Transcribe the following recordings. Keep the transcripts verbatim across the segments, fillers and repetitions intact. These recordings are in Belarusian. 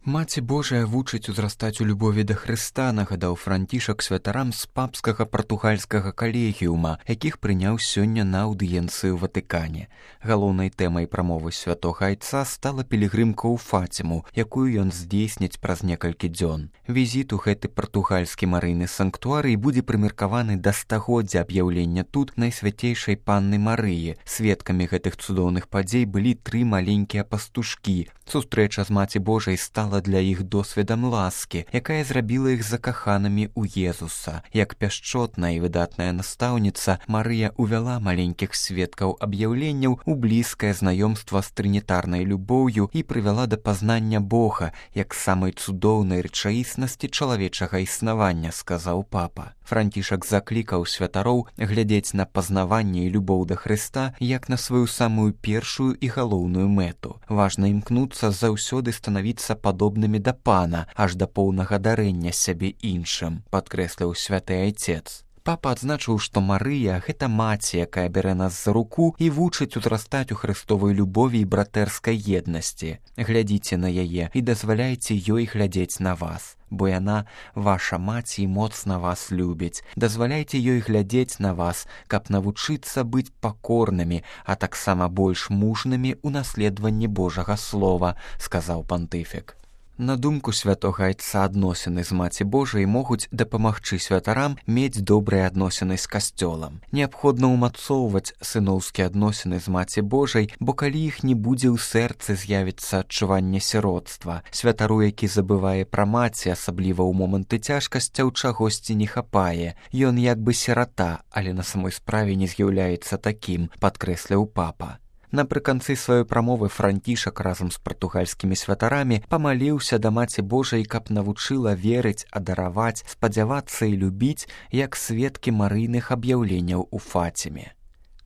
Маці Божая вучыць узрастаць у любові да Хрыста, нагадаў Францішак святарам з папскага партугальскага калегіума, якіх прыняў сёння на аўдыенцыі ў Ватыкане. Галоўнай тэмай прамовы святога айца стала пілігрымка ў Фаціму, якую ён здзейсніць праз некалькі дзён. Візіт у гэты партугальскі марыйны санктуарый будзе прымеркаваны да стагоддзя аб'яўлення тут Найсвяцейшай Панны Марыі. Сведкамі гэтых цудоўных падзей былі тры маленькія пастушкі. Сустрэча з Маці Божай стала для іх досведам ласкі, якая зрабіла іх закаханымі ў Езуса. Як пяшчотная і выдатная настаўніца, Марыя увяла маленькіх сведкаў аб'яўленняў у блізкае знаёмства з трынітарнай любоўю і прывяла да пазнання Бога, як самай цудоўнай рэчаіснасці чалавечага існавання, сказаў папа. Францішак заклікаў святароў глядзець на пазнаванне і любоў да Хрыста як на сваю самую першую і галоўную мэту. Важна імкнуцца заўсёды станавіцца падобнымі да Пана, аж да поўнага дарэння сябе іншым, падкрэсліў святы айцец. Папа адзначыў, што Марыя – гэта маці, якая бярэ нас за руку і вучыць узрастаць у хрыстовай любові і братэрскай еднасці. Глядзіце на яе і дазваляйце ёй глядзець на вас, бо яна ваша маці і моцна вас любіць. Дазваляйце ёй глядзець на вас, каб навучыцца быць пакорнымі, а таксама больш мужнымі ў наследаванні Божага Слова, сказаў пантыфік. На думку святога айца, адносіны з Маці Божай могуць дапамагчы святарам мець добрыя адносіны з касцёлам. Неабходна ўмацоўваць сыноўскія адносіны з Маці Божай, бо калі іх не будзе ў сэрцы, з'явіцца адчуванне сіротства. Святару, які забывае пра маці, асабліва ў моманты цяжкасцяў, чагосьці не хапае. Ён як бы сірата, але на самой справе не з'яўляецца такім, падкрэсліў папа. Напрыканцы сваёй прамовы Францішак разам з партугальскімі святарамі памаліўся да Маці Божай, каб навучыла верыць, адараваць, спадзявацца і любіць, як сведкі марыйных аб'яўленняў у Фаціме.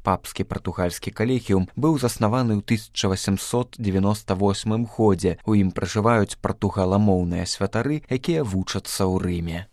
Папскі партугальскі калегіум быў заснаваны ў тысяча васемсот дзевяноста восьмым годзе. У ім пражываюць партугаламоўныя святары, якія вучацца ў Рыме.